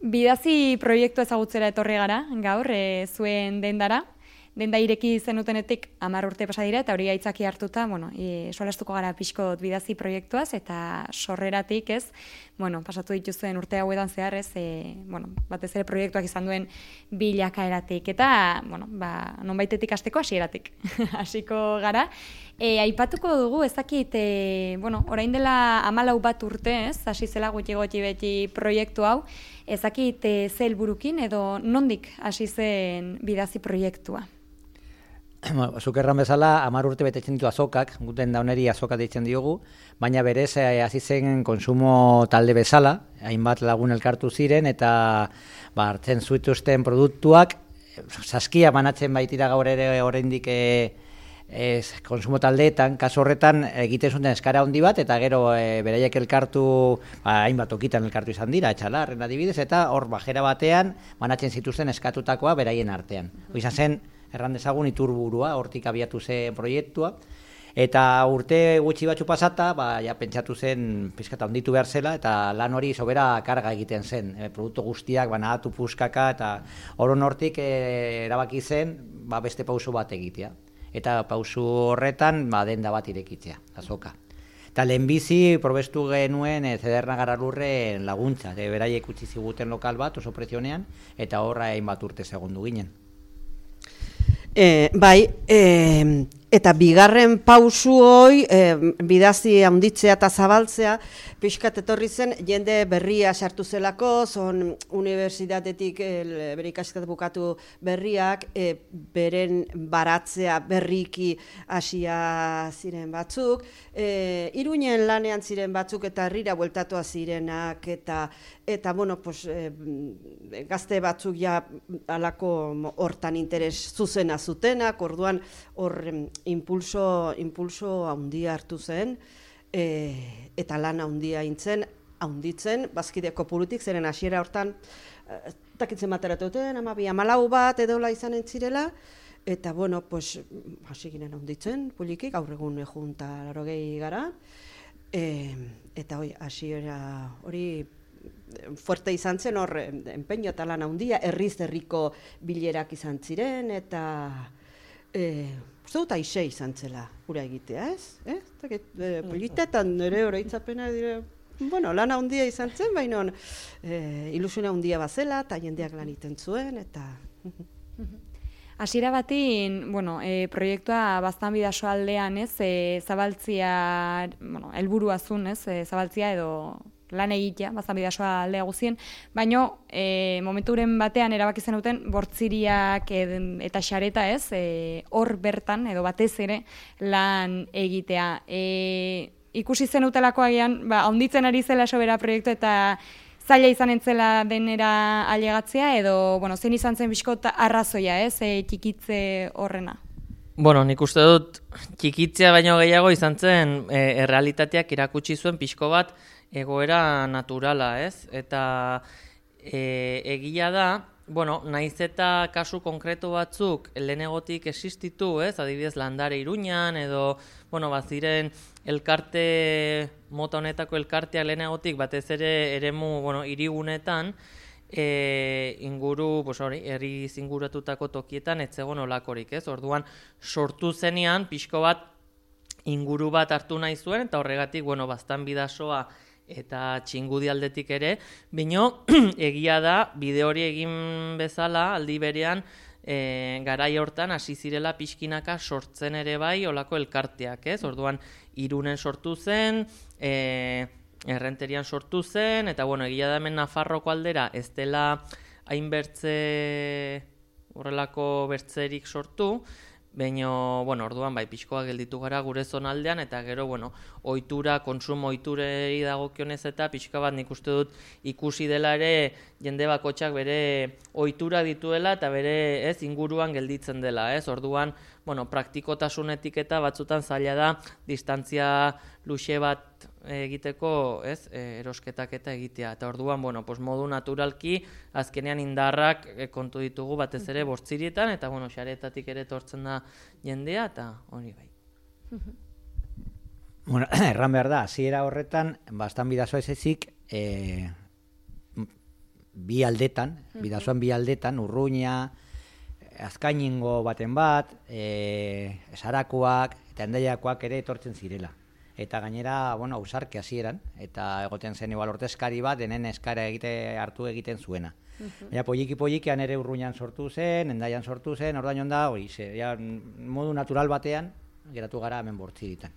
Bidazi proiektu ezagutzera etorri gara, gaur, zuen dendara. Denda ireki zenutenetik 10 urte pasa dira, eta hori aitzaki hartuta, solastuko gara pixkot bidazi proiektuaz, eta sorreratik pasatu dituzuen urte hauetan zehar batez ere proiektuak izan duen bilakaeratik, eta, nonbaitetik hasteko hasieratik. Hasiko gara. Aipatuko dugu, ezakit, orain dela 14 bat urte, hasi zela gutxi beti proiektu hau, ezakit ze helburukin edo nondik hasi zen bidazi proiektua? Zuk erran bezala, 10 urte betetzen ditu azokak, guten dauneri azoka deitzen diogu, baina berez hasi zen konsumo talde bezala, hainbat lagun elkartu ziren, eta hartzen zituzten produktuak, saskia banatzen baitira gaur ere oraindik konsumo taldeetan, kasu horretan egiten zuten eskara handi bat, eta gero beraiek elkartu, hainbat okitan elkartu izan dira, etxalarren adibidez, eta hor bajera batean banatzen zituzten eskatutakoa beraien artean. Izan zen, erran dezagun iturburua, hortik abiatu zen proiektua, eta urte gutxi batzu pasata, pentsatu zen pizkata handitu behar zela, eta lan hori sobera karga egiten zen, produktu guztiak banatu puskaka, eta horon hortik erabaki zen beste pauso bat egitea. Eta pausu horretan denda bat irekitzea, azoka. Eta lehenbizi probestu genuen Zederna Garalurren laguntza, beraiek utzi ziguten lokal bat oso prezionean, eta horra hainbat urte segundu ginen. Eta bigarren pausu hoi, bidazi handitzea eta zabaltzea, pixkat etorri zen, jende berria sartu zelako, zon unibertsitatetik bere ikasketak bukatu berriak, beren baratzea berriki hasia ziren batzuk, Iruinen lanean ziren batzuk eta herrira bueltatua zirenak, eta gazte batzuk ja alako hortan interes zuzena zutenak, orduan hor impulso handia hartu zen, eta lan handia handitzen, bazkide kopurutik, zeren hasiera hortan, takitzen bateratuten, 12-14 bat edola izan entzirela, eta hasi ginen handitzen, poliki, gaur egun junta 80 gara, eta hasiera hori fuerte izan zen, hor enpeño eta lan handia, herriko bilerak izan ziren, eta uste dut aixe izan zela gura egitea, ez? Politetan nire oroitzapena dire, lan handia izan zen, baina ilusiona handia bazela, eta jendeak lan iten zuen, eta... Hasiera batin, proiektua Baztan Bidaso aldean, zabaltzia, helburua zuen, zabaltzia edo lan egitea, Baztan Bidasoa aldea guzien, baina momenturen batean erabaki zenuten bortziriak eta xareta, hor bertan edo batez ere lan egitea. Ikusi zenutelako agian, handitzen ari zela sobera proiektu eta zaila izan entzela denera ailegatzea, edo, zein izan zen bizkot arrazoia, txikitze horrena? Nik uste dut txikitzea baino gehiago izan zen errealitateak irakutsi zuen pixko bat egoera naturala, Eta egia da, naiz eta kasu konkretu batzuk lehenegotik existitu, adibidez Landare Iruñan, edo, baziren elkarte, mota honetako elkarteak lehenegotik, batez ere eremu, hirigunetan, inguru, herri zinguratutako tokietan, ez zegoen olakorik, Orduan, sortu zenean, pixko bat, inguru bat hartu nahi zuen, eta horregatik, Baztan Bidasoa eta Txingudi aldetik ere, bino, egia da, bide hori egin bezala, aldi berean, garai hortan hasi zirela pixkinaka sortzen ere bai olako elkarteak, Orduan, Irunen sortu zen, Errenterian sortu zen, eta egia da hemen Nafarroko aldera ez dela hainbertze horrelako bertzerik sortu, baina, orduan, pixkoa gelditu gara gure zonaldean, eta gero, ohitura, konsumo ohiturei dagokionez eta pixka bat nik uste dut ikusi dela ere jende bakotxak bere ohitura dituela eta bere inguruan gelditzen dela, Orduan, praktikotasunetik eta batzutan zaila da distantzia luxe bat egiteko, erosketak eta egitea. Eta orduan, modu naturalki, azkenean indarrak kontu ditugu batez ere bortzirietan, eta xaretatik ere etortzen da jendea, eta hori bai. Erran behar da, hasiera horretan, Baztan Bidasoa ez ezik, bi aldetan, bidasoan bi aldetan, Urruña, Azkainingo baten bat, Sarakoak eta Hendaiakoak ere etortzen zirela. Eta gainera, bueno, ausarki hasieran, eta egoten zen igual ordezkari bat, denen eskara hartu egiten zuena. Baina poliki-polikian ere Urruñan sortu zen, Hendaian sortu zen, ordain onda, modu natural batean, geratu gara hemen Bortziritan.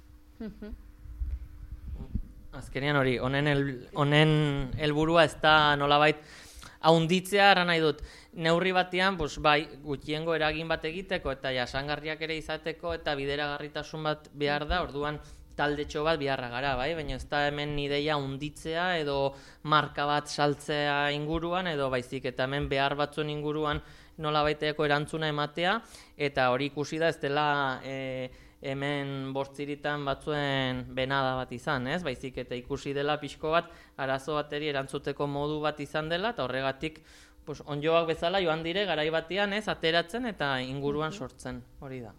Azkenean hori, honen helburua ez da nolabait haunditzea, ara nahi dut, neurri batean, bai, gutxiengo eragin bat egiteko eta jasangarriak ere izateko eta bideragarritasun bat behar da, orduan taldetxo bat beharra gara, bai? Baina ez da hemen ideia hunditzea edo marka bat saltzea inguruan edo baizik eta hemen behar batzuen inguruan nolabaiteko erantzuna ematea eta hori ikusi da ez dela hemen Bortziritan batzuen benada bat izan, ez? Baizik eta ikusi dela pixko bat arazo bateri erantzuteko modu bat izan dela eta horregatik onjoak bezala joan dire garai batean, ez? Ateratzen eta inguruan sortzen, hori da.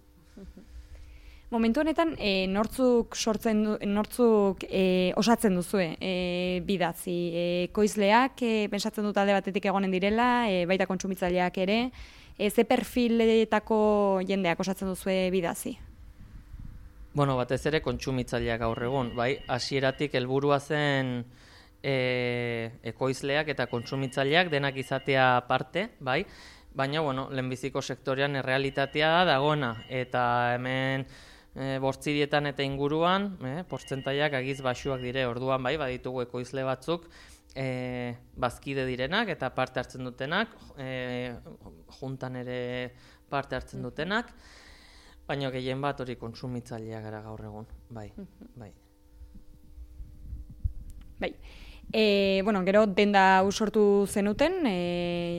Momentu honetan, nortzuk osatzen duzue bidazi? Ekoizleak, pentsatzen dut alde batetik egonen direla, baita kontsumitzaileak ere, ze perfiletako jendeak osatzen duzue bidazi? Bueno, batez ere kontsumitzaileak gaur egun, bai, hasieratik helburua zen ekoizleak eta kontsumitzaileak denak izatea parte, bai, baina, bueno, lehenbiziko sektorean errealitatea dagoena, eta hemen Bortzirietan eta inguruan, portzentaiak agiz baxuak dire, orduan bai, baditugu ekoizle batzuk, bazkide direnak eta parte hartzen dutenak, juntan ere parte hartzen dutenak, baina gehien bat hori kontsumitzaileak gara gaur egun, bai. Bueno, gero denda sortu zenuten,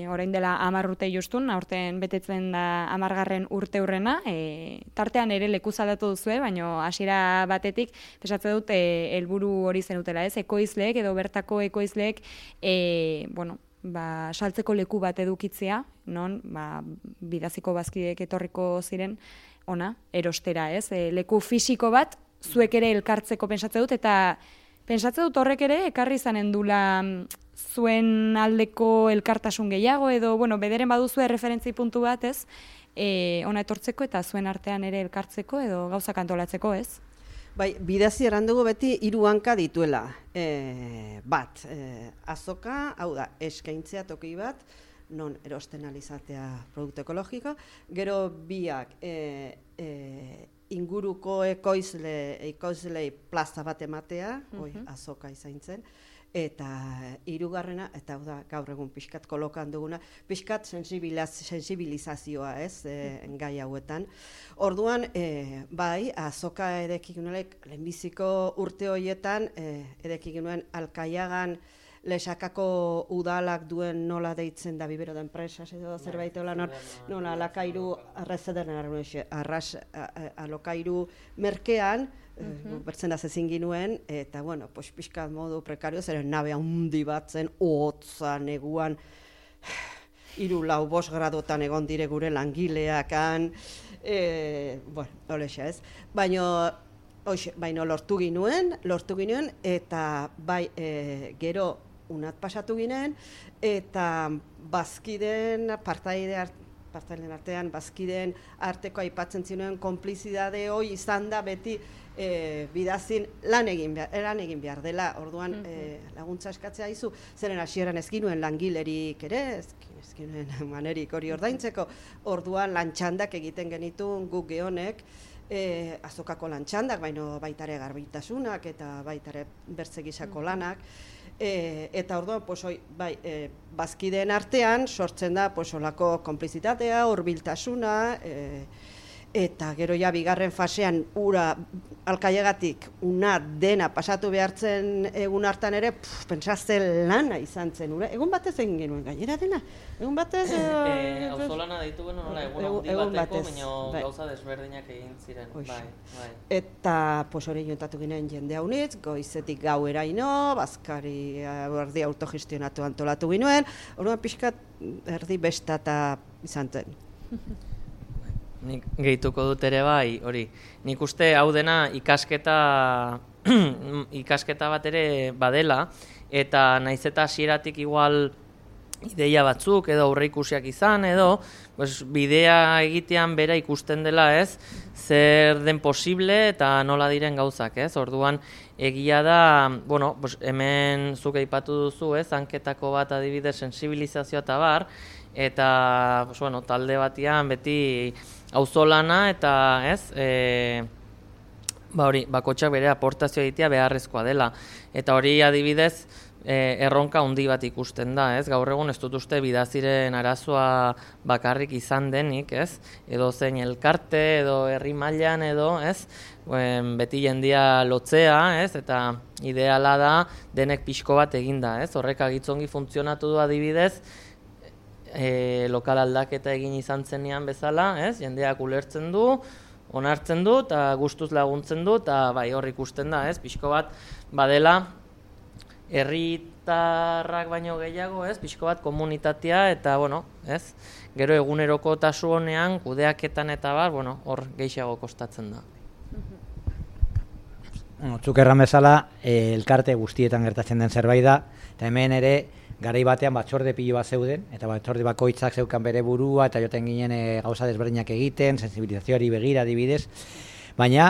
orain dela 10 urte justun, aurten betetzen da 10. urte hurrena, tartean ere lekuz aldatu duzue, baina hasiera batetik, pensatzen dut, helburu hori zenutela, ez? Ekoizleek edo bertako ekoizleek, saltzeko leku bat edukitzea, non, bidaziko bazkideek etorriko ziren, ona, erostera, ez? Leku fisiko bat, zuek ere elkartzeko pentsatzen dut, eta pentsatzen dut horrek ere, ekarri izanen dula zuen aldeko elkartasun gehiago, edo, bederen baduzue referentzi puntu bat, ez? Ona etortzeko eta zuen artean ere elkartzeko, edo gauzak antolatzeko, ez? Bai, bidazi erandugu beti 3 hanka dituela. Bat, azoka, hau da, eskaintzea toki bat, non erosten alizatea produktu ekologiko, gero biak, inguruko ekoizlei plaza bat ematea, azoka izan zen, eta 3. eta hau da, gaur egun pixkat kolokan duguna, pixkat sensibilizazioa, ez, gai hauetan. Orduan, bai, azoka edekigunelek, lehenbiziko urte horietan, edekigunuen Alkaiagan, Lesakako udalak duen nola deitzen da bibero da enpresas edo zerbait hola nola alokairu alokairu merkean bertzen da zezin ginuen eta pixka modu prekario zeren nabe handi bat zen hotza neguan 3-4 gradotan egon dire gure langileakan holexa ez baina lortu ginuen eta bai gero unat pasatu ginen, eta bazkideen, partailen artean, bazkideen arteko aipatzen zinuen konplizidade hoi izan da beti bidazin lan egin behar dela, orduan laguntza eskatzea izu, zeren hasieran ez ginuen langilerik ere, ez ginuen manerik hori ordaintzeko, orduan lantxandak egiten genituen guk gehonek, azokako lantxandak, baitare garbitasunak eta baitare bertzegisako lanak, eta orduan, bazkideen artean sortzen da olako konplizitatea, hurbiltasuna, eta gero ja bigarren fasean ura Alkaiagatik una dena pasatu behartzen egun hartan ere, pentsazte lana izan zen ura. Egun batez egin genuen gainera dena. Egun batez... Auzolana deitu genuen, nola, egun bateko, baina gauza desberdinak egin ziren. Eta hori jontatu ginen jende haunitz, goizetik gaueraino, bazkari erdi autogestionatu antolatu ginen, orduan pixkat erdi bestata izan zen. Nik gehituko dut ere bai, hori. Nik uste hau dena ikasketa bat ere badela, eta naiz eta hasieratik igual ideia batzuk edo aurreikusiak izan edo pues, bidea egitean bera ikusten dela, ez, zer den posible eta nola diren gauzak, ez? Orduan egia da, bueno, pues, hemen zuk aipatu duzu, ez, hanketako bat adibidez sensibilizazioa eta bar, eta pues, bueno, talde batean beti auzolana eta, ez, hori, bakotxak bere aportazioa egitea beharrezkoa dela. Eta hori adibidez, erronka handi bat ikusten da, ez? Gaur egun ez dut uste bidaziren arazoa bakarrik izan denik, ez? Edo zein elkarte, edo herri mailan edo, ez? Beti jendia lotzea, ez? Eta ideala da denek pixko bat eginda, ez? Horrek agitzongi funtzionatu du adibidez, lokal aldaketa egin izan zenean bezala, ez? Jendeak ulertzen du, onartzen du, eta gustuz laguntzen du, eta bai hor ikusten da, ez? Pixko bat badela, herritarrak baino gehiago, ez, pixko bat komunitatea eta, bueno, ez, gero egunerokotasun honean, kudeaketan eta bar, bueno, hor gehiago kostatzen da. Zuk erran bezala, elkarte guztietan gertatzen den zerbait da, eta hemen ere, garai batean batzorde pilo bat zeuden, eta batzorde bakoitzak zeukan bere burua, eta joten ginen gauza desberdinak egiten, sensibilizazioari begira adibidez, baina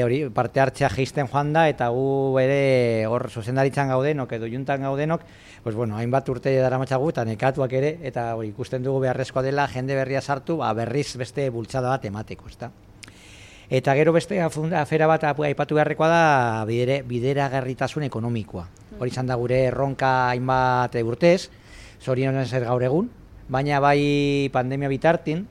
hori parte hartzea jeisten joan da, eta gu ere hor zuzendaritzan gaudenok edo juntan gaudenok, pues bueno, hainbat urte daramatzagu eta nekatuak ere, eta hori ikusten dugu beharrezkoa dela jende berria sartu, berriz beste bultzada bat emateko, ezta. Eta gero beste afera bat aipatu beharrekoa da bideragarritasun ekonomikoa. Hori izan da gure erronka hainbat urtez, zorionez ez gaur egun, baina bai pandemia bitartin,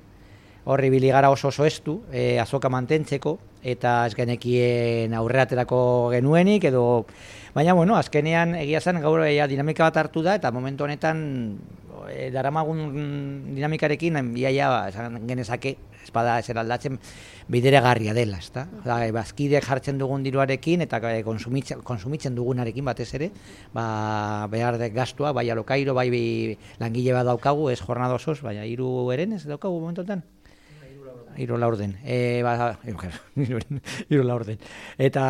horri biligara oso estu, azoka mantentzeko, eta ez genekien aurreraterako genuenik, edo, baina, bueno, azkenean egia zen gaur dinamika bat hartu da, eta momentu honetan daramagun dinamikarekin, iaia, esan genezake, espada ezer aldatzen, bideragarria dela, ezta? Bazkideak jartzen dugun diruarekin, eta konsumitzen dugunarekin batez ere, behar de gastua, bai alokairo, bai langile bat daukagu, ez jornada osoz, baina 3 eren ez daukagu momentu honetan. 3 laurden. Hiru laurden. Eta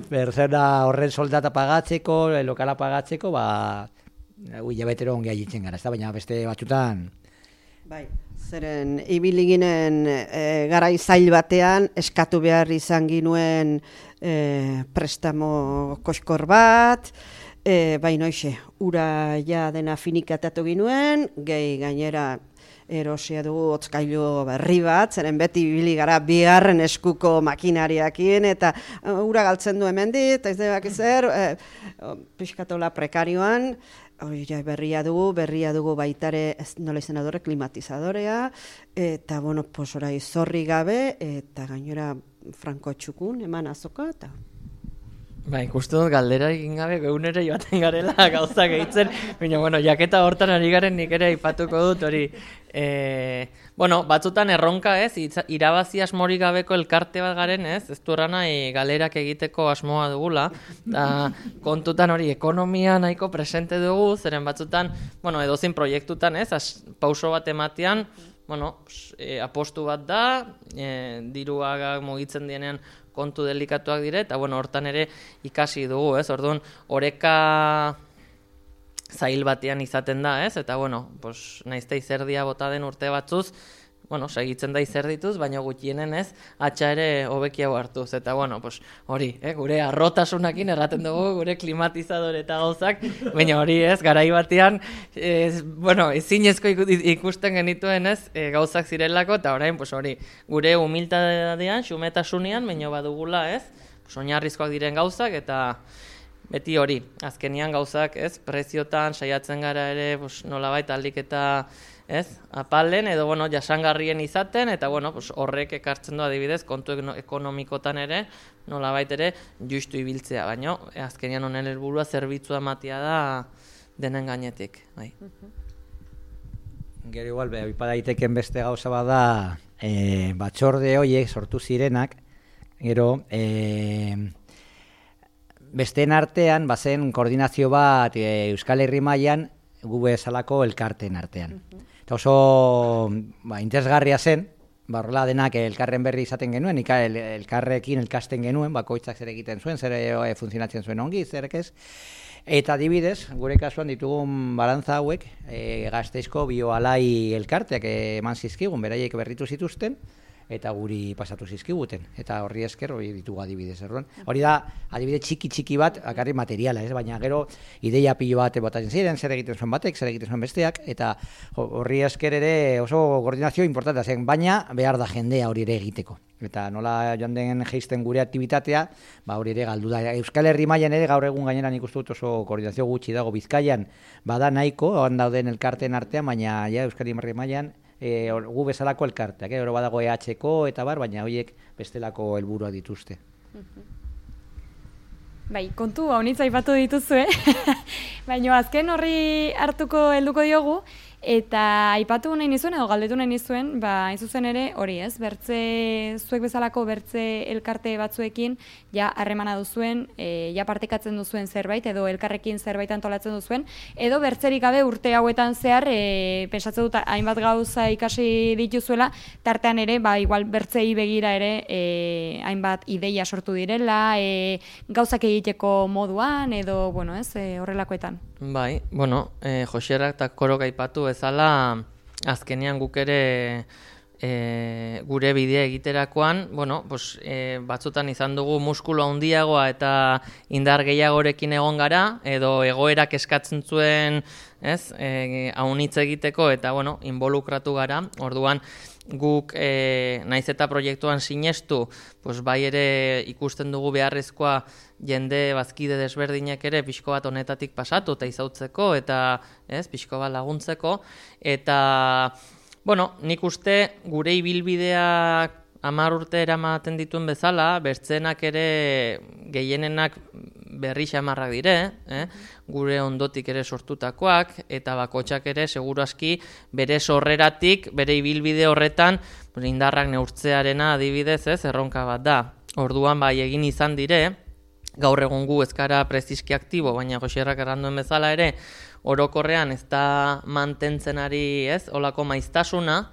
persona horren soldata pagatzeko, lokala pagatzeko, hilabetero ongi aitzen gara, baina beste batzutan. Bai, zeren ibili ginen garai zail batean eskatu behar izan ginuen prestamo koskor bat, baina hoxe, ura ja dena finikatatu ginuen, gehi gainera erosia dugu hotzkailu berri bat, zeren beti ibili gara bigarren eskuko makinariakin, eta ura galtzen du hemendik, eta ez debak ezer, pixkatola prekarioan, berria dugu baitare, nola izan adore, klimatizadorea, eta, bueno, pues orai zorri gabe, eta gainera franko txukun, eman azoka, eta... Ikusten dut galdera egin gabe, geunere joaten garela gauzak egitzen, baina, bueno, jaketa hortan ari garen nik ere aipatuko dut, hori, batzutan erronka, ez, irabazi asmorik gabeko elkarte bat garen, ez du nahi galerak egiteko asmoa dugula, eta kontutan hori ekonomia nahiko presente dugu, zeren batzutan, edozein proiektutan, ez, pauso bat ematean, apostu bat da, diruak mugitzen dienean kontu delikatuak dire, eta hortan ere ikasi dugu, ez, orduan, oreka zail batean izaten da, ez, eta, naizte izerdia bota den urte batzuz, segitzen da izerdituz, baina gutxienen ez, atxa ere hobekiago hartuz, eta, hori, gure arrotasunakin erraten dugu, gure klimatizadore eta gauzak, baina hori ez, garai batean, ezinezko ikusten genituen ez, gauzak zirelako, eta orain, hori, gure humiltadean, xumetasunean, baina badugula ez, oinarrizkoak diren gauzak, eta beti hori, azkenian gauzak ez, preziotan saiatzen gara ere, nolabait aldiketa, ez, apalen edo, jasangarrien izaten, eta, horrek ekartzen du adibidez, kontu ekonomikotan ere, nolabait ere, justu ibiltzea, baina, azkenean honen helburua zerbitzua ematea da denen gainetik, bai. Gero igual, aipa daiteken beste gauza bada, batzorde horiek sortu zirenak, gero, besteen artean, bazen koordinazio bat Euskal Herri mailan gu bezalako elkarteen artean. Eta oso interesgarria zen, horrela denak elkarren berri izaten genuen, elkarrekin elkasten genuen, bakoitzak zer egiten zuen, zer funtzionatzen zuen ongi, zer ez. Eta adibidez, gure kasuan ditugun balantza hauek, Gasteizko bioalai elkarteak eman zizkigun, beraiek berritu zituzten, eta guri pasatu zizkiguten. Eta horri esker hori ditugu adibidez. Hori da, adibidez txiki bat, akarri materiala, baina gero ideia pilo bat botatzen ziren, zer egiten zuen batek, zer egiten zuen besteak, eta horri esker ere oso koordinazio importantea zen, baina behar da jendea hori ere egiteko. Eta nola joan den geisten gure aktibitatea, hori ere galdu da. Euskal Herri mailan ere gaur egun gainera nik uste dut oso koordinazio gutxi dago Bizkaian, bada nahiko, han dauden elkarteen artean, baina Euskal Herri mailan gu bezalako elkarteak, oro badago EH-ko eta baina horiek bestelako helburua dituzte. Bai, kontu haunitza aipatu dituzue, baina azken horri hartuko helduko diogu, eta aipatu nahi nizuen, edo galdetu nahi nizuen, hain zuzen ere hori ez, zuek bezalako bertze elkarte batzuekin, harremana duzuen, partekatzen duzuen zerbait, edo elkarrekin zerbait antolatzen duzuen, edo bertzerik gabe urte hauetan zehar, pensatzen dut hainbat gauza ikasi dituzuela, tartean ere, igual bertzei begira ere, hainbat ideia sortu direla, gauzak egiteko moduan, edo, horrelakoetan. Bai, Joserak eta Korok aipatu bezala, azkenean guk ere gure bidea egiterakoan, batzutan izan dugu muskulu handiagoa eta indar gehiagorekin egon gara, edo egoerak eskatzen zuen, haunitz egiteko eta, involukratu gara, orduan, guk naiz eta proiektuan sinestu, bai ere ikusten dugu beharrezkoa jende bazkide desberdinek ere pixko bat honetatik pasatu eta izautzeko eta pixko bat laguntzeko. Eta, nik uste gure ibilbideak 10 urte eramaten dituen bezala, bertzenak ere gehienenak berri xamarrak dire, gure ondotik ere sortutakoak, eta bakotxak ere seguru aski bere sorreratik, bere ibilbide horretan indarrak neurtzearena adibidez erronka bat da. Orduan egin izan dire, gaur egun gu ezkara preziski aktibo, baina Joserrak erranduen bezala ere, orokorrean ez da mantentzen ari olako maiztasuna,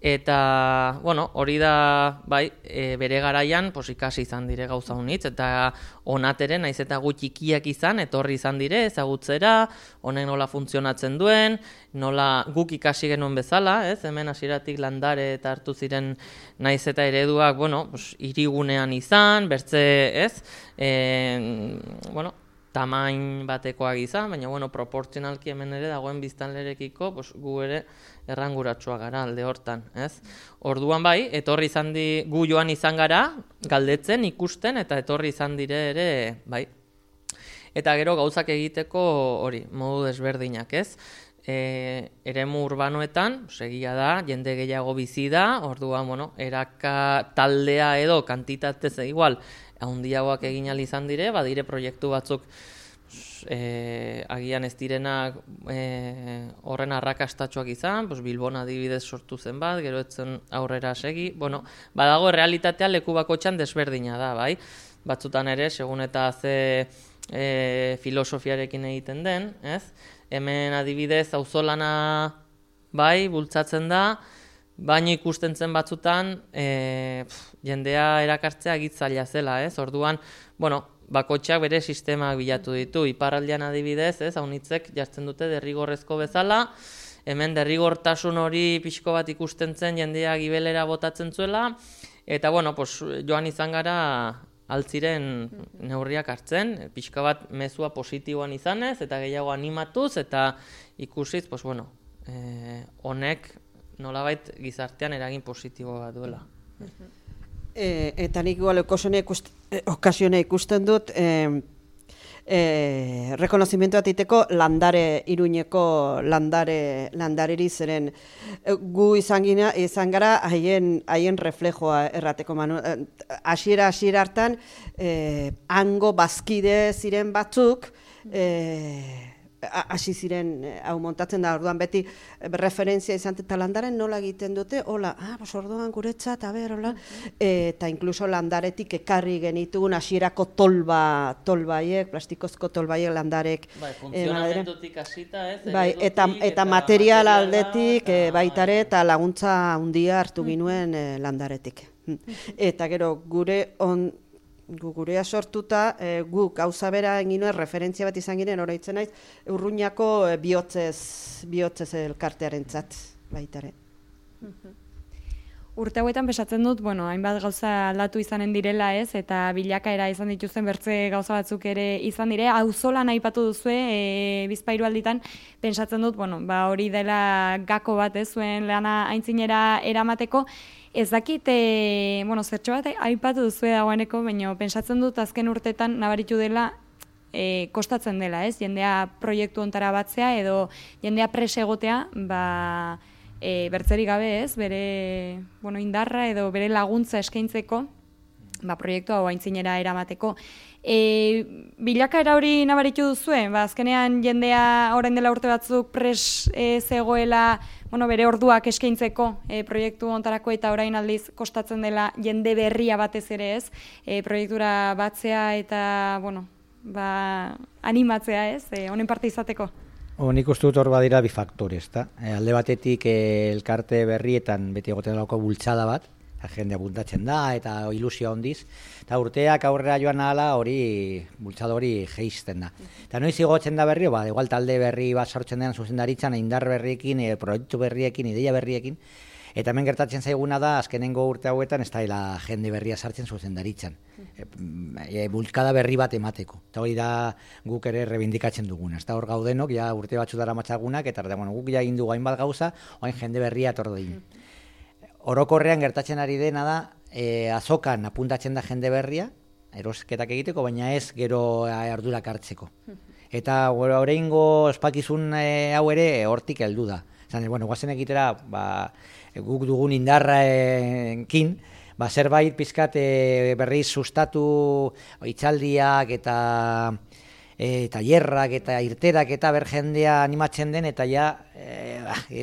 eta, hori da, bere garaian, ikasi izan dire gauza honitz, eta onateren, naiz eta gutxikiak izan, etorri izan dire, ezagutzera, honek nola funtzionatzen duen, nola guk ikasi genuen bezala, hemen hasieratik landare eta hartu ziren naiz eta ereduak, hirigunean izan, bertze, tamain batekoak izan, baina, proportzionalki hemen ere dagoen biztanlerekiko, gu ere erranguratsua gara alde hortan, Orduan etorri izan gu joan izan gara, galdetzen, ikusten, eta etorri izan dire ere, Eta gero gauzak egiteko hori, modu desberdinak, eremu urbanoetan, egia da, jende gehiago bizi da, orduan, eraka taldea edo kantitatez igual, handiagoak egin ahal izan dire, badire proiektu batzuk agian ez direnak horren arrakastatxoak izan, Bilbon adibidez sortu zen bat, gero etzen aurrera segi, badago realitatea leku bakotxan desberdina da, batzutan ere, segun eta ze filosofiarekin egiten den, hemen adibidez auzolana bultzatzen da, baina ikusten zen batzutan jendea erakartzea gitzaila zela, orduan, bakotxak bere sistemak bilatu ditu, iparraldean adibidez, haunitzek jartzen dute derrigorrezko bezala, hemen derrigortasun hori pixko bat ikusten zen jendea gibelera botatzen zuela, eta joan izan gara altziren neurriak hartzen, pixka bat mezua positiboan izanez, eta gehiago animatuz, eta ikusiz, honek nolabait gizartean eragin positibo bat duela. Eta nik igual okasione ikusten dut rekonozimientu bat iteko Iruñeko landareri zeren gu izan gara haien reflejoa errateko manu. Hasiera hartan hango bazkide ziren batzuk hasi ziren hau montatzen da, orduan beti referentzia izan eta landaren nola egiten dute, hola, orduan guretzat, hola, eta inkluso landaretik ekarri genitugun hasierako tolbaiek, plastikozko tolbaiek landarek. Funtzionamentutik hasita, eta material aldetik baitare eta laguntza handia hartu ginuen landaretik. Eta gero gure gurea sortuta, guk gauza bera egin nuen, referentzia bat izan ginen, oraitzen naiz, Urruñako bihotzez elkartearentzat baitare. Urte hauetan pesatzen dut, hainbat gauza aldatu izanen direla ez, eta bilakaera izan dituzten bertze gauza batzuk ere izan dire, auzolan aipatu duzue, Bizpahiru alditan, pensatzen dut, hori dela gako bat ez, zuen lana aintzinera eramateko, ez dakit, zertxo bat aipatu duzue dagoeneko, baina pentsatzen dut azken urtetan nabaritu dela, kostatzen dela ez, jendea proiektu ontara batzea, edo jendea presegotea, bertzerik gabe ez, bere indarra edo bere laguntza eskaintzeko, proiektu hau aintzinera eramateko. Bilakaera hori nabaritu duzue, azkenean jendea orain dela urte batzuk pres zegoela, bere orduak eskaintzeko proiektu ontarako, eta orain aldiz kostatzen dela jende berria batez ere ez, proiektura batzea eta, animatzea ez, honen parte izateko. Nik uste dut hor badira bi faktore, ezta? Alde batetik elkarte berrietan beti egoten dauko bultzada bat, jende apuntatzen da eta ilusioa hondiz, eta urteak aurrera joan ahala hori bultzada hori jeisten da. Eta noiz igotzen da berrio, igual talde berri bat sortzen den zuzendaritzan, indar berriekin, proiektu berriekin, ideia berriekin, eta hemen gertatzen zaiguna da, azkenengo urte hauetan ez da jende berria sartzen zuzendaritzan. Bulkada berri bat emateko. Eta hori da guk ere rebindikatzen duguna. Ez da hor gaudenok, urte batzu dara matxagunak, eta guk egin dugu hainbat gauza, hain jende berria etordo egin. Orokorrean gertatzen ari dena da, azokan apuntatzen da jende berria, erosketak egiteko, baina ez gero ardurak hartzeko. Eta oraingo ospakizun hau ere hortik heldu da. Guazen egitera, guk dugun indarraekin, zerbait pizkat berriz sustatu hitzaldiak eta tailerrak eta irterak eta ber jendea animatzen den, eta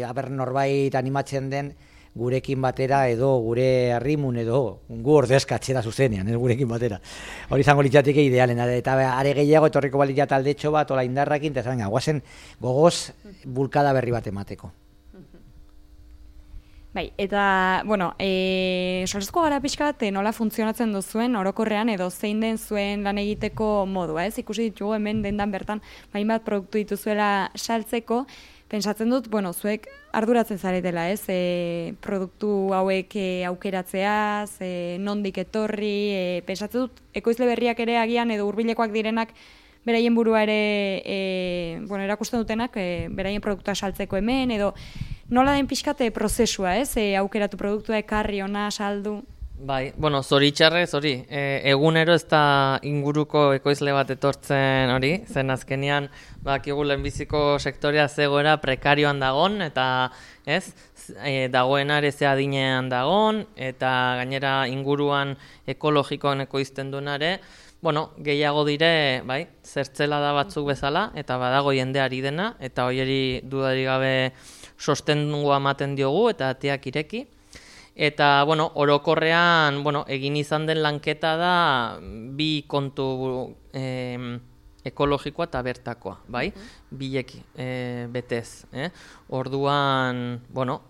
aber norbait animatzen den gurekin batera edo gure harrimun edo gu ordezkatzera zuzenean, ez gurekin batera. Hori izango litzateke idealena, eta are gehiago etorriko balia taldetxo bat, ola indarrakin, eta guazen gogoz bulkada berri bat emateko. Eta, solezko gara pixka bat nola funtzionatzen duzuen orokorrean edo zein den zuen lan egiteko modua, ez? Ikusi ditugu hemen dendan bertan, bat produktu dituzuela saltzeko, pentsatzen dut, zuek arduratzen zaretela, ez? Produktu hauek aukeratzeaz, nondik etorri, pentsatzen dut, ekoizle berriak ere agian edo hurbilekoak direnak beraien burua ere erakusten dutenak, beraien produktua saltzeko hemen, edo nola den pixkate prozesua, ez? Aukeratu produktua ekarri ona saldu. Zoritxarrez hori, egunero ez da inguruko ekoizle bat etortzen hori, zen azkenean bakigu lehenbiziko sektorea zegoera prekarioan dagon, eta dagoena ere ze adinean dagon, eta gainera inguruan ekologikoan ekoizten duenare, gehiago dire, zertzela da batzuk bezala, eta badago jendeari dena, eta hori dudari gabe sostengua ematen diogu, eta ateak ireki. Eta, orokorrean, egin izan den lanketa da bi kontu ekologikoa eta bertakoa, bileki betez. Orduan,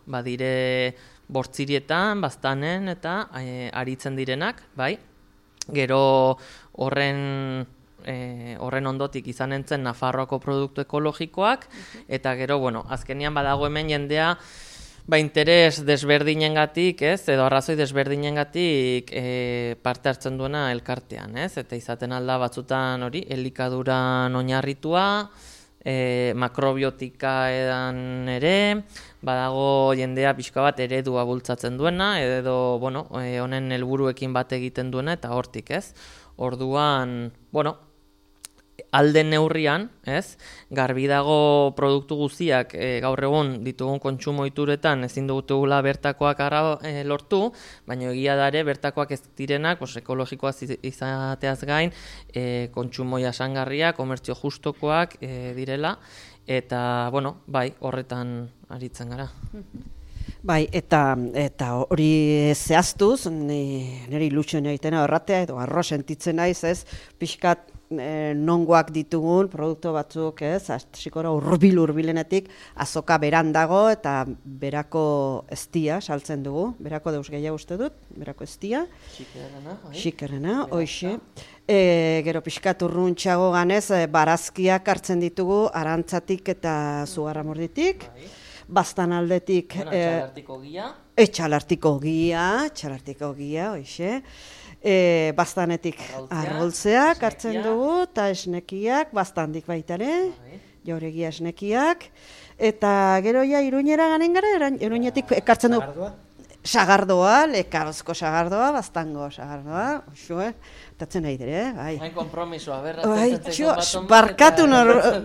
badire bortzirietan, baztanen eta aritzen direnak, gero horren ondotik izan entzen Nafarroako produktu ekologikoak, eta gero, azkenian badago hemen jendea, interes desberdinengatik, edo arrazoi desberdinengatik parte hartzen duena elkartean, eta izaten alda batzutan hori, elikaduran oinarritua, makrobiotika edan ere, badago jendea pixka bat eredua bultzatzen duena, edo, honen helburuekin bat egiten duena, eta hortik, Orduan, alden neurrian, garbi dago produktu guztiak gaur egun ditugun kontsumo ohituretan ezin dugula bertakoak lortu, baina egia da ere bertakoak ez direnak, ekologikoak izateaz gain, kontsumo jasangarria, komertzio justokoak direla, eta horretan aritzen gara. Eta hori zehaztuz, nire ilusioen egiten horratea, edo arro sentitzen naiz, pixkat nongoak ditugun produktu batzuk, ez, asikora hurbilenetik azoka beran dago eta berako eztia saltzen dugu, berako deus gehiago uste dut, berako eztia. Xikerrena, hoxe. Gero pixkat urruntxago ganez, barazkiak hartzen ditugu arantzatik eta zugarramorditik. Bastan aldetik... Txalartiko gia, hoxe. Bastanetik arroltzeak hartzen dugu, eta esnekiak, bastandik baitare, jauregia esnekiak. Eta gero ja Iruñera ganen gara, Iruñetik ekartzen dugu. Sagardoa, lekabazko sagardoa, bastango sagardoa, oxue, tatzen nahi dire, bai. Hain kompromisoa, berra, barkatu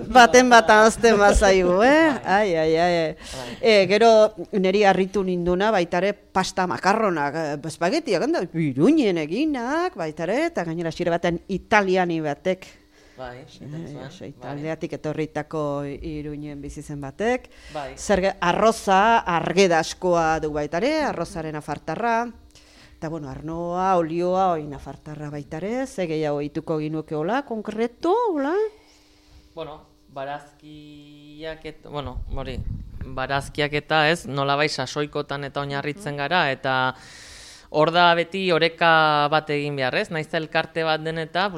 baten bat azten bazaigu, Ai. Gero niri harritu ninduna, baitare pasta makarronak, espagetiak, Iruñen eginak, baitare, eta gainera xire baten italiani batek. Italiatik etorritako Iruñen bizi zen batek. Arroza, argedaskoa du baitare, arrozaren afartarra. Eta, arnoa, olioa, oin afartarra baitare. Ze gehiago ituko ginuke hola, konkretu, hola? Barazkiak eta ez, nolabait sasoikotan eta oinarritzen gara, eta hor da beti oreka bat egin behar, ez? Naiz elkarte bat den eta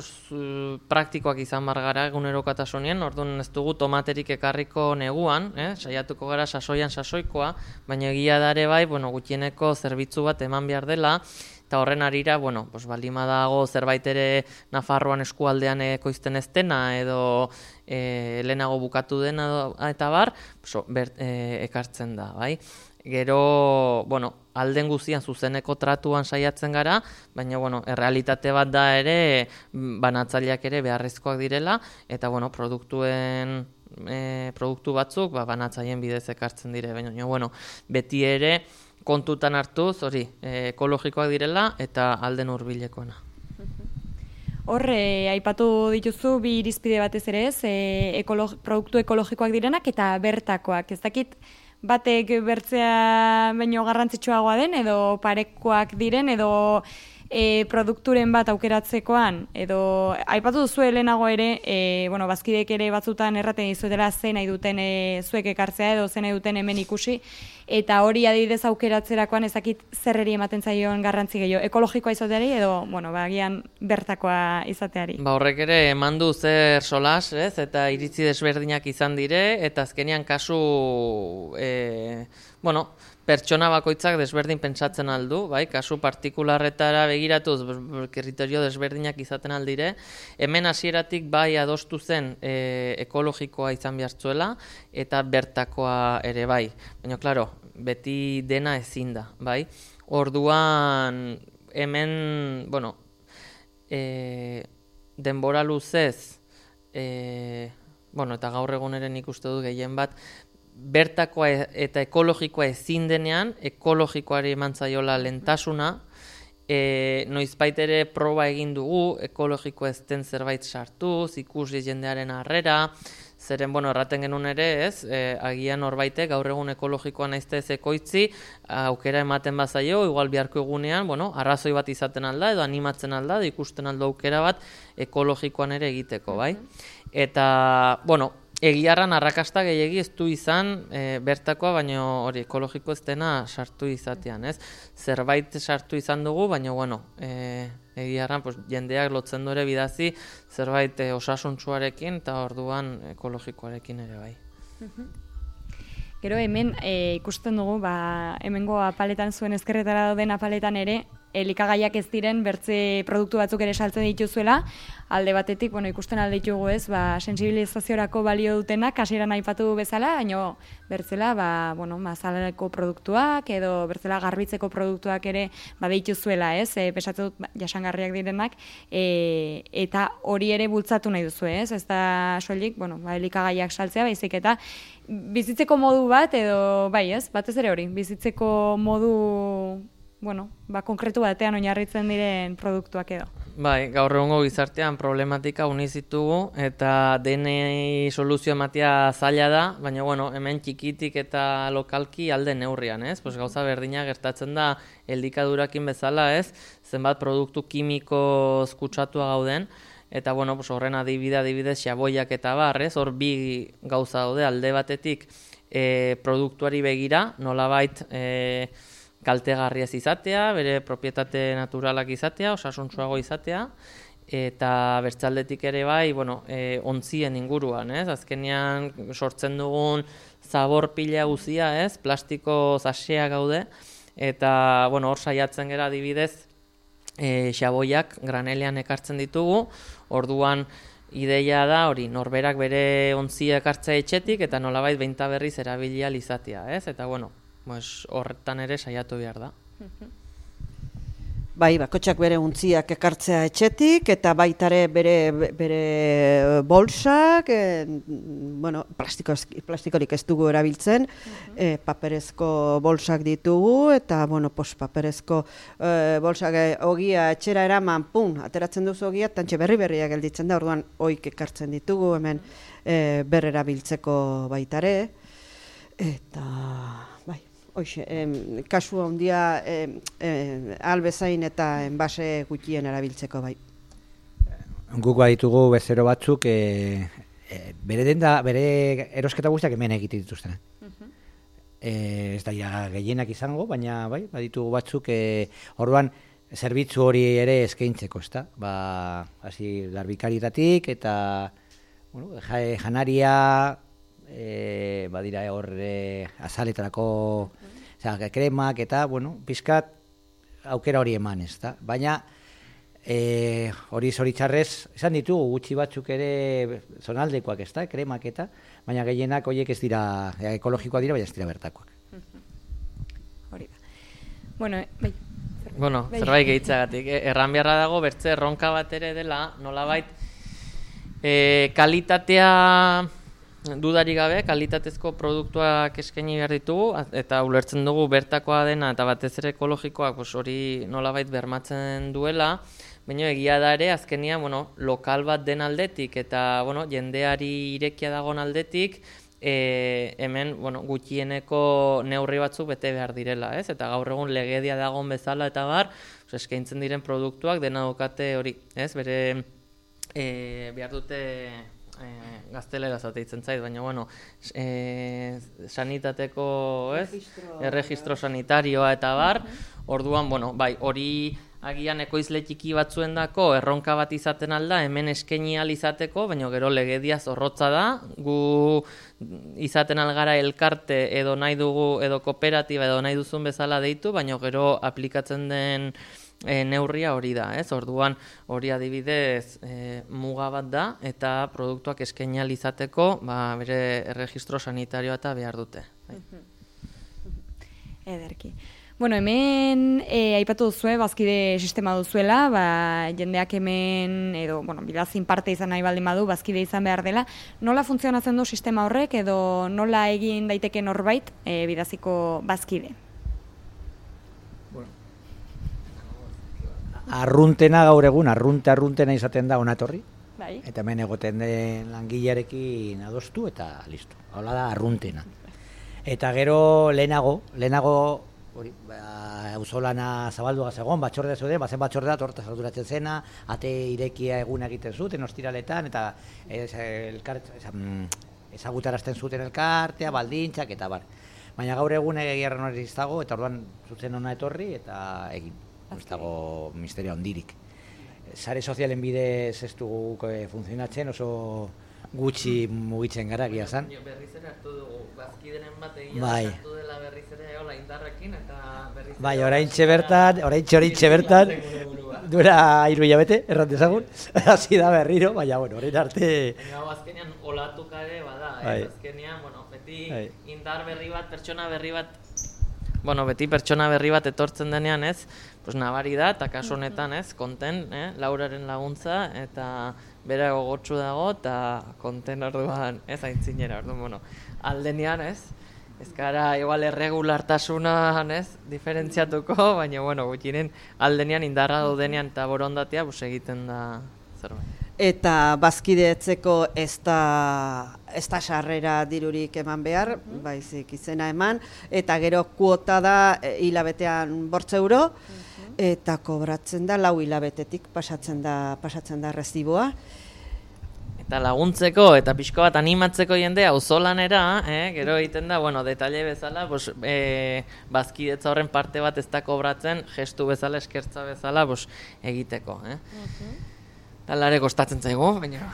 praktikoak izan bar gara egunerokatasunien, orduan ez dugu tomaterik ekarriko neguan, saiatuko gara sasoikoa, baina egia dare bai, gutxieneko zerbitzu bat eman behar dela, eta horren arira, baldin badago zerbait ere Nafarroan eskualdean ekoizten ez dena, edo lehenago bukatu dena eta bar, ekartzen da, bai? Gero, alden guztian zuzeneko tratuan saiatzen gara, baina, errealitate bat da ere, banatzaileak ere beharrezkoak direla, eta, produktu batzuk, banatzaileen bidez ekartzen dire, baina, beti ere, kontutan hartuz, ekologikoak direla, eta alden hurbilekoena. Hor, aipatu dituzu bi irizpide batez ere ez, produktu ekologikoak direnak eta bertakoak. Ez dakit, batek bertzea baino garrantzitsuagoa den, edo parekoak diren, edo produkturen bat aukeratzekoan, edo aipatu duzu lehenago ere, bazkideek ere batzutan erraten dizuetela zen nahi duten zuek ekartzea, edo zen nahi duten hemen ikusi, eta hori adibidez aukeratzerakoan ezakit zerreri ematen zaion garrantzi gehiago, ekologikoa izateari, edo, agian bertakoa izateari. Horrek ere eman du zer solas, ez, eta iritzi desberdinak izan dire, eta azkenean kasu, pertsona bakoitzak desberdin pentsatzen aldu, bai, kasu partikularretara begiratuz kriterio desberdinak izaten aldire. Hemen hasieratik bai adostu zen ekologikoa izan behartzuela eta bertakoa ere bai. Baina, klaro, beti dena ezin da, bai. Orduan, hemen, denbora luzez, eta gaur eguneren ikuste du gehien bat, bertakoa eta ekologikoa ezin denean, ekologikoari eman zaiola lehentasuna, noizbait ere proba egin dugu, ekologikoa ez den zerbait sartuz, ikusi jendearen harrera, zeren, erraten genuen ere, ez, agian horbaitek gaur egun ekologikoa naizte ez ekoitzi, aukera ematen bazaio, igual biharko egunean, arrazoi bat izaten alda, edo animatzen alda, edo ikusten aldo aukera bat ekologikoan ere egiteko, bai? Eta, egiarran arrakasta gehiegi ez du izan bertakoa, baina hori ekologiko ez dena sartu izatean, ez? Zerbait sartu izan dugu, baina, egiarran jendeak lotzen du ere bidazi zerbait osasuntsuarekin eta orduan ekologikoarekin ere bai. Gero hemen ikusten dugu, hemengo apaletan zuen ezkerretara dauden apaletan ere, elikagaiak ez diren bertze produktu batzuk ere saltzen dituzuela, alde batetik, ikusten alde ditugu ez, sensibilizaziorako balio dutenak, hasieran aipatu bezala, baina bertzela, mazaleko produktuak edo bertzela garbitzeko produktuak ere dituzuela, ez, pesatu dut jasangarriak direnak, eta hori ere bultzatu nahi duzu, ez, ez da soilik, elikagaiak saltzea, baizik eta bizitzeko modu bat, edo, ez, batez ere hori, bizitzeko modu konkretu batean oinarritzen diren produktuak edo. Bai, gaur egungo gizartean problematika unizitugu eta denei soluzio ematea zaila da, baina hemen txikitik eta lokalki alde neurrian, ez? Gauza berdina gertatzen da elikadurakin bezala, ez? Zenbat produktu kimiko kutsatua gauden, eta bueno, pues horren adibidez xaboiak eta bar, ez? Hor bi gauza daude, alde batetik produktuari begira, nolabait kaltegarria ez izatea, bere propietate naturalak izatea, osasuntsuago izatea, eta bertzaldetik ere bai, bueno, ontzien inguruan, ez? Azkenean sortzen dugun zabor pila guzia, ez? Plastiko zasea gaude, eta bueno, hor saiatzen gera adibidez, xaboiak granelean ekartzen ditugu, orduan ideia da hori, norberak bere ontzia ekartzea etxetik, eta nolabait behin eta berriz erabilia izatea, ez? Eta bueno, horretan ere saiatu behar da. Bai, bakotxak bere untziak ekartzea etxetik, eta baitare bere bolsak, bueno, plastikorik ez dugu erabiltzen, paperezko bolsak ditugu, eta, bueno, paperezko bolsak ogia etxera eraman, ateratzen duzu ogia, tantxe berriak gelditzen da, orduan oik ekartzen ditugu, hemen berrerabiltzeko baitare, eta... Hoxe, kasu handia albezain eta enbase gutxien erabiltzeko bai. Guk baditugu bezero batzuk bere erosketa guztiak hemen egiten dituzten. Ez da gehienak izango, baina bai, baditugu batzuk orduan zerbitzu hori ere eskaintzeko, ezta? Hasi larbikaritatik eta bueno, janaria badira hor azaletarako kremak eta, bueno, pizkat aukera hori eman, ez da? Baina hori zoritxarrez, esan ditugu gutxi batzuk ere zonaldekoak, ez da, kremak eta, baina gehienak horiek ez dira, ekologikoak dira, baina ez dira bertakoak. Hori da. Bueno, bai. Bueno, zerbait gehitzagatik, erran beharra dago bertze erronka bat ere dela, nolabait, kalitatea dudarik gabe, kalitatezko produktuak eskaini behar ditugu, eta ulertzen dugu bertakoa dena eta batez ere ekologikoak hori nolabait bermatzen duela, baina egia da ere azkenia lokal bat den aldetik eta jendeari irekia dagoen aldetik, hemen gutxieneko neurri batzuk bete behar direla, ez? Eta gaur egun legedia dagoen bezala eta bar, eskaintzen diren produktuak dena daukate hori, ez? Bere behar dute gaztelera zateitzen zait, baina sanitateko, ez? Erregistro sanitarioa eta bar, orduan, bai, hori agian ekoizle txiki batzuendako erronka bat izaten alda, hemen eskaini ahal izateko, baina gero legedia zorrotza da, gu izaten algara elkarte edo nahi dugu, edo kooperatiba edo nahi duzun bezala deitu, baina gero aplikatzen den neurria hori da, ez? Orduan hori adibidez muga bat da eta produktuak eskaini ahal izateko bere erregistro sanitarioa eta behar dute. Ederki. Bueno, hemen aipatu duzue, bazkide sistema duzuela, jendeak hemen, edo, bidazin parte izan nahi baldin badu, bazkide izan behar dela. Nola funtzionatzen du sistema horrek, edo nola egin daiteke norbait bidaziko bazkide? Arruntena gaur egun, arruntena izaten da onatorri, eta hemen egoten den langilearekin adostu eta listo. Hala da arruntena. Eta gero lehenago, hori, auzolana zabaldua zegoen, batzordea zeuden, bazen batzordea torta sarduratzen zena, ate irekia eguna egiten zuten, ostiraletan, eta ezagutarazten zuten elkartea, baldintzak, eta bar. Baina gaur egun egiarren hori iztago, eta orduan zuzen hona etorri, eta egin. Ez dago misterio handirik. Sare sozialen bidez ez dugu funtzionatzen, oso gutxi mugitzen gara egia zan. Berriz ere hartu dugu, bazkideren bat egia hartu dela berriz ere hola indarrekin eta berriz ere... Bai, oraintxe bertan, duela 3 hilabete, erran dezagun, hasi da berriro, baina, orain arte... Azkenean olatuka ere bada, azkenean, beti indar berri bat, pertsona berri bat, beti pertsona berri bat etortzen denean, ez, nabari da, eta kasu honetan, ez, konten, Lauraren laguntza, eta bera gogotsu dago, eta konten orduan, ez, aintzinera, orduan, aldenean, ez, ez gara, igual, erregulartasunan, ez, diferentziatuko, baina, gutxinen, aldenean, indarra daudenean, eta borondatea, egiten da zerbait. Eta bazkideetzeko ez da sarrera dirurik eman behar, baizik izena eman, eta gero kuota da hilabetean 8 euro, eta kobratzen da 4 hilabetetik pasatzen da reciboa. Eta laguntzeko eta pixko bat animatzeko jendea auzolanera, gero egiten da, bueno, detalle bezala, bazkidetza horren parte bat ez da kobratzen, gestu bezala, eskertza bezala, egiteko. Talare kostatzen zaigu, baina...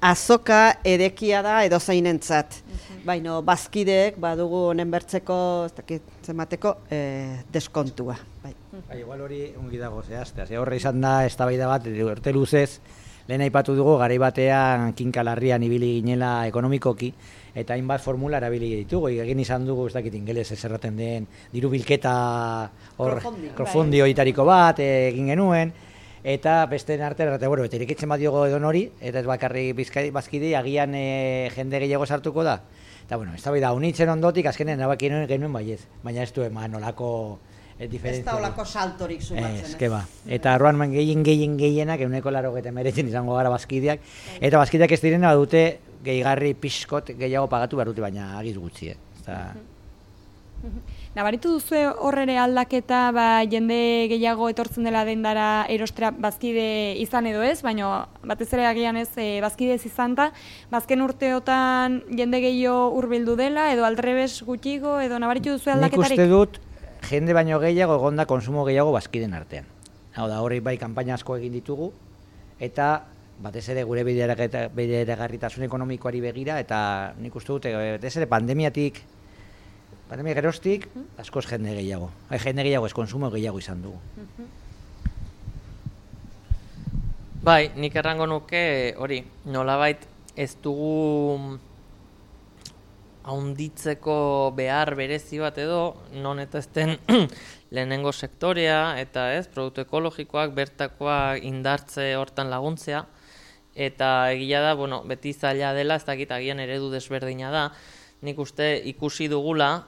Azoka edekia da edozainentzat, baina bazkideek badugu honen bertzeko, ez dakit zemateko, deskontua. Igual hori ongi dago zehaztea, horre izan da eztabaida bat, urte luzez, lehen aipatu dugu, garai batean kinkalarrian ibili ginela ekonomikoki, eta hainbat formula erabili ditugu, egin izan dugu, ez dakit ingeles ez erraten den, diru bilketa crowdfunding horitariko bat egin genuen, eta besteen artean, eta irekitzen bat diogo edon hori, eta ez bakarri bazkide, agian jende gehiago sartuko da. Eta, eztabaida unitzen ondotik, azkenean nabaki genuen baiez, baina ez du eman olako ez da olako saltorik sumatzen. Eta arroan gehienak, 180 izango gara bazkideak, eta bazkideak ez direna dute gehigarri pixkot gehiago pagatu behar dute, baina agiz gutxi. Nabaritu duzu horrere aldaketa, jende gehiago etortzen dela dendara erostera bazkide izan edo ez, baina batez ere agian ez bazkide ez izan da, bazken urteotan jende gehiago hurbildu dela, edo aldrebes gutxigo, edo nabaritu duzu aldaketarik? Nik uste dut, jende baino gehiago egonda konsumo gehiago bazkiden artean. Hau da, hori bai kanpaina asko egin ditugu, eta batez ere gure bideragarritasun ekonomikoari begira, eta nik uste dut, batez ere pandemia geroztik, askoz jende gehiago. Jende gehiago ez konsumo gehiago izan dugu. Bai, nik errango nuke hori, nolabait ez dugu haunditzeko behar berezi bat edo, non eta ezten lehenengo sektorea, eta produktu ekologikoak, bertakoak indartze hortan laguntzea, eta egia da, beti zaila dela, ez dakit agian eredu desberdina da, nik uste ikusi dugula,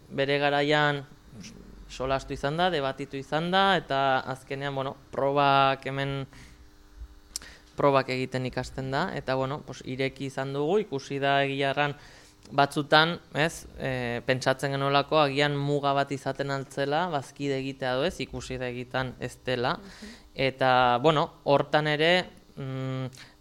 bere garaian solastu izan da, debatitu izan da, eta azkenean, probak egiten ikasten da, eta ireki izan dugu, ikusi da egiarran batzutan, pentsatzen genuelako agian muga bat izaten altzela, bazkide egitea doez, ikusi da egiten ez dela, eta, hortan ere,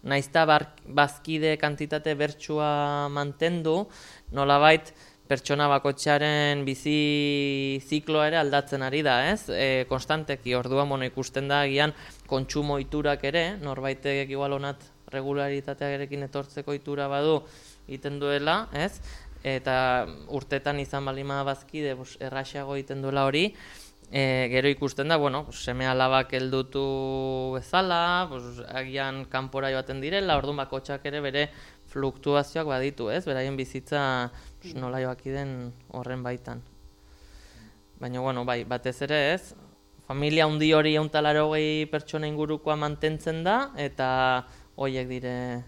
naizta bazkide kantitate bertsua mantendu, nolabait pertsona bakotxearen bizi zikloa ere aldatzen ari da, konstanteki, orduan ikusten da agian kontsumo iturak ere, norbaitek igual honat regularitatearekin etortzeko itura badu egiten duela, eta urtetan izan balima bazkide erraxago egiten duela hori, gero ikusten da, seme alabak heldutu bezala, agian kanpora joaten direla, orduan bakotxak ere bere fluktuazioak baditu, beraien bizitza nola joaki den horren baitan. Baina, bai, batez ere familia handi hori 180 pertsona ingurukoa mantentzen da, eta horiek dire,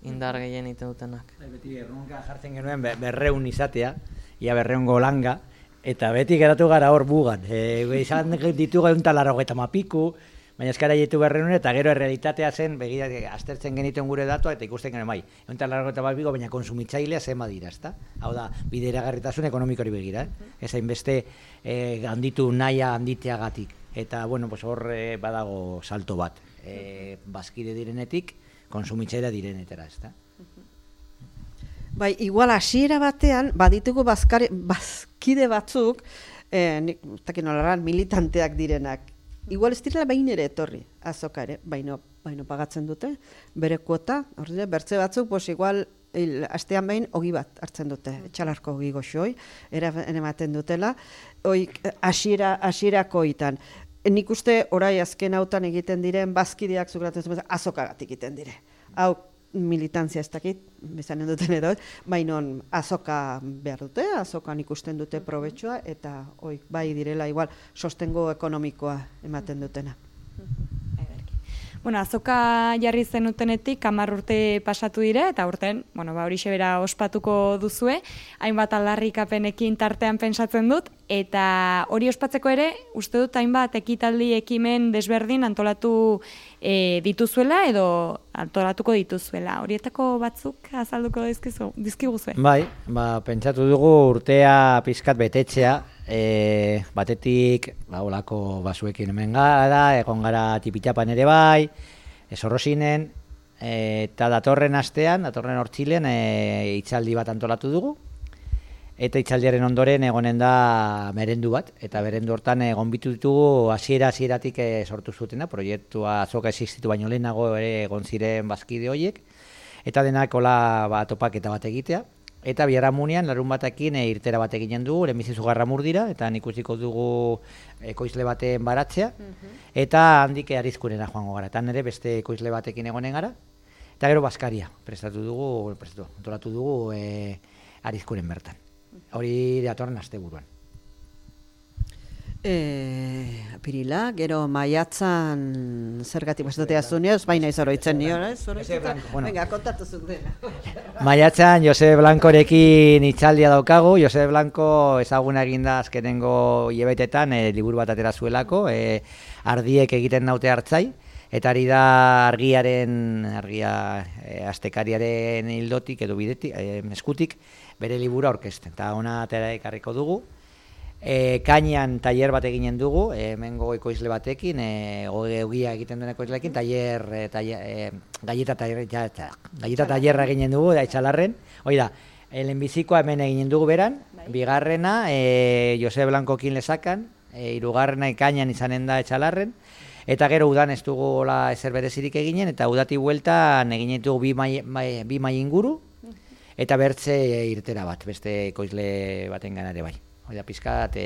indar gehien iten dutenak. Beti erronka jartzen genuen 200 izatea, ia 200 langa, eta beti geratu gara hor bugan. Izan ditugu 180 piku, baina eskara jetu 200 eta gero errealitatea zen, begira, aztertzen genituen gure datua, eta ikusten genuen bai, 180 piku, baina konsumitzailea zema dira, ezta? Hau da, bideragarritasun ekonomikori begira, ez hainbeste handitu nahia handiteagatik. Eta, hor badago salto bat, bazkide direnetik, konsumitzailea direnetera, ezta? Bai, igual hasiera batean, baditugu bazkide batzuk, militanteak direnak. Igual ez direla behin ere etorri, azoka ere, baino pagatzen dute, bere kuota, bertze batzuk, igual, astean behin, ogi bat hartzen dute, etxalarko ogi goxoi, ematen dutela, hasierako itan. Nik uste orai azken hautan egiten diren bazkideak zukratzen zuen azokagatik egiten dire. Hau militantzia ez dakit, bezanen duten edo, baina azoka behar dute, azokan ikusten dute probetxoa, eta bai direla igual sostengo ekonomikoa ematen dutena. Azoka jarri zenutenetik 10 urte pasatu dire, eta urten, hori xebera ospatuko duzue, hainbat aldarrikapenekin tartean pentsatzen dut, eta hori ospatzeko ere, uste dut hainbat ekitaldi ekimen desberdin antolatu dituzuela edo antolatuko dituzuela. Horietako batzuk azalduko dizkiguzue? Bai, pentsatu dugu urtea pizkat betetzea, batetik, olako basuekin hemen gara, egon gara tipitxapan ere bai, Zorrozinen, eta datorren hortzilen, hitzaldi bat antolatu dugu, eta hitzaldiaren ondoren egonen da merendu bat, eta merendu hortan gonbitu ditugu hasieratik sortu zutena, proiektua azoka existitu baino lehenago ere egon ziren bazkide horiek, eta denak hola topaketa bat egitea. Eta biharamunean, larun batekin irtera bat eginen dugu, lehenbizizu Garramur dira, eta ikusiko dugu ekoizle baten baratzea, eta handik Arizkunera joango gara, eta nire beste ekoizle batekin egonen gara, eta gero Baskaria prestatu dugu Arizkunen bertan. Hori datorren asteburuan. Apirila, gero maiatzan zergatik bastatea zunioz, baina izoroitzen nio, venga, kontatu dena. Maiatzan Josep Blancorekin hitzaldia daukagu, Josep Blanco ezaguna eginda azkenengo hilabetetan liburu bat atera zuelako, ardiek egiten naute hartzai, eta ari da argia astekariaren hildotik edo bidetik, eskutik, bere libura aurkezten, eta ona atera ekarriko dugu. Kainan tailer bat eginen dugu, hemengo ekoizle batekin, ogia egiten duen ekoizleekin, galleta tailerra eginen dugu, da Etxalarren. Hoi da, lehenbizikoa hemen eginen dugu beran, bigarrena Jose Blancokin Lesakan, hirugarrena Kainan izanen da Etxalarren, eta gero udan ez dugu ezer berezirik eginen, eta udati bueltan eginen dugu bi mai inguru, eta bertze irtera bat, beste ekoizle baten ganare bai. Hori da, pizkat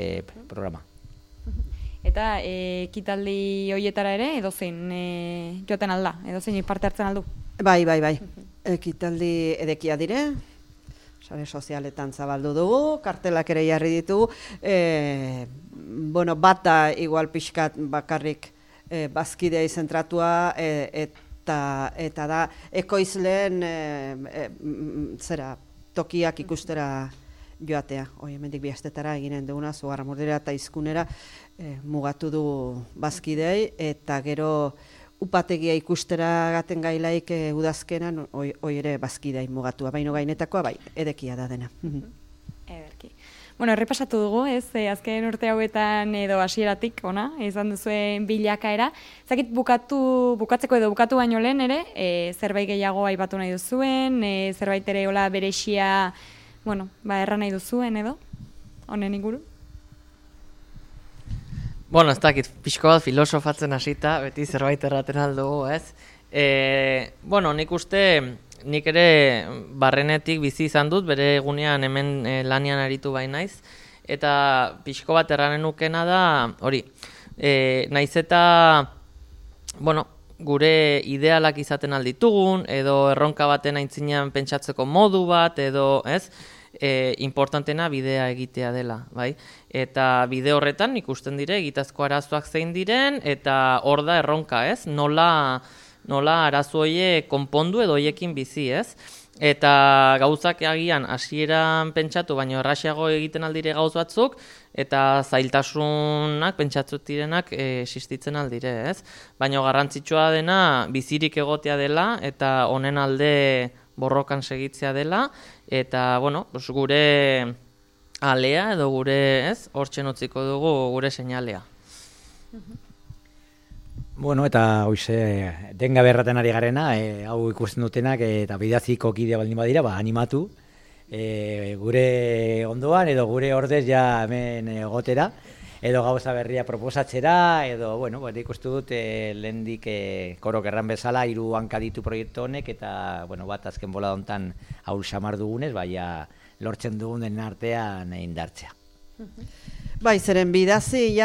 programa. Eta ekitaldi horietara ere, edozein joaten alda, edozein parte hartzen aldu? Bai. Ekitaldi edekia dire, sare sozialetan zabaldu dugu, kartelak ere jarri ditugu, bat da igual pixkat bakarrik bazkidea izentratua, eta da ekoizleen tokiak ikustera joatea. Hemendik bi astetara eginen duguna, Garramurdera eta Izkunera mugatu du bazkidei, eta gero upategia ikustera gaten gailaik udazkenan, hoi ere bazkidei mugatua, baino gainetakoa bai, edekia da dena. Ederki. Bueno, errepasatu dugu, azken urte hauetan edo hasieratik, izan duzuen bilakaera. Zakit bukatzeko edo bukatu baino lehen ere, zerbait gehiago aipatu nahi duzuen, zerbait ere hola berexia, erran nahi duzuen edo, honen inguru? Ez dakit, pixko bat filosofatzen hasita, beti zerbait erraten aldugu, ez? Nik uste, nik ere barrenetik bizi izan dut, bere egunean hemen lanian aritu bai naiz, eta pixko bat erranen nukena da, hori, naiz eta, gure idealak izaten alditugun, edo erronka baten aintzinean pentsatzeko modu bat, edo, ez? Importantena bidea egitea dela, bai? Eta bide horretan ikusten dire egitazko arazoak zein diren, eta hor da erronka, ez? Nola arazo horiek konpondu edo horiekin bizi, ez? Eta gauzak agian hasieran pentsatu, baino erraxiago egiten aldire gauz batzuk, eta zailtasunak pentsatzut direnak existitzen aldire, ez? Baina garrantzitsua dena bizirik egotea dela, eta honen alde borrokan segitzea dela, eta, gure alea edo gure, ez, hortzen utziko dugu gure seinalea. Eta hoize, denga berraten ari garena, hau ikusten dutenak, eta bidaziko kidea baldin badira, animatu, gure ondoan, edo gure ordez ja hemen egotera, edo gauza berria proposatzera, edo, ikustu dut, lehendik korok erran bezala, 3 hanka ditu proiektu honek, eta, bat azken bola hontan haul xamar dugunez, baina lortzen dugunen artean indartzea. Bai, zeren bidazi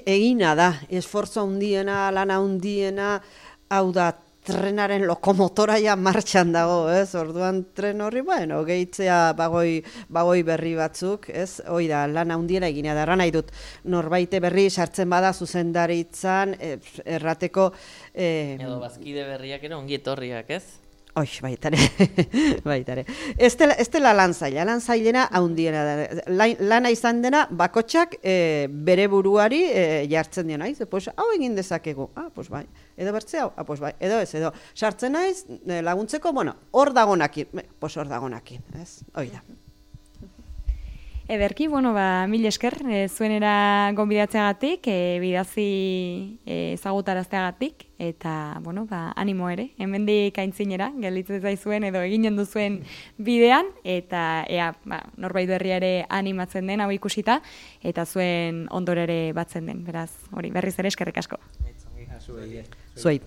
egina da, esfortzo handiena, lana handiena, hau da, trenaren lokomotora ja martxan dago, ez? Orduan tren horri, gehitzea bagoi berri batzuk, ez? Hoi da, lan handiela egina da, nahi dut, norbaite berri sartzen bada zuzendaritzan, errateko... Edo bazkide berriak ere ongi etorriak, ez? Baitare. Ez dela lan zailena handiena da. Lana izan dena, bakotxak bere buruari jartzen dien naiz, hau egin dezakegu, bai. Edo bertze hau, bai. Edo ez, edo sartzen naiz laguntzeko, hor dagonakin, hor dagonakin, ez? Hoi da. Ederki, mil esker, zuenera gonbidatzeagatik, bidazi ezagutarazteagatik, eta, animo ere, hemendik aintzinera, gelditzen zaizuen edo eginen duzuen bidean, eta norbait berria ere animatzen den, hau ikusita, eta zuen ondorere batzen den, beraz, hori, berriz ere eskerrik asko. Zuei.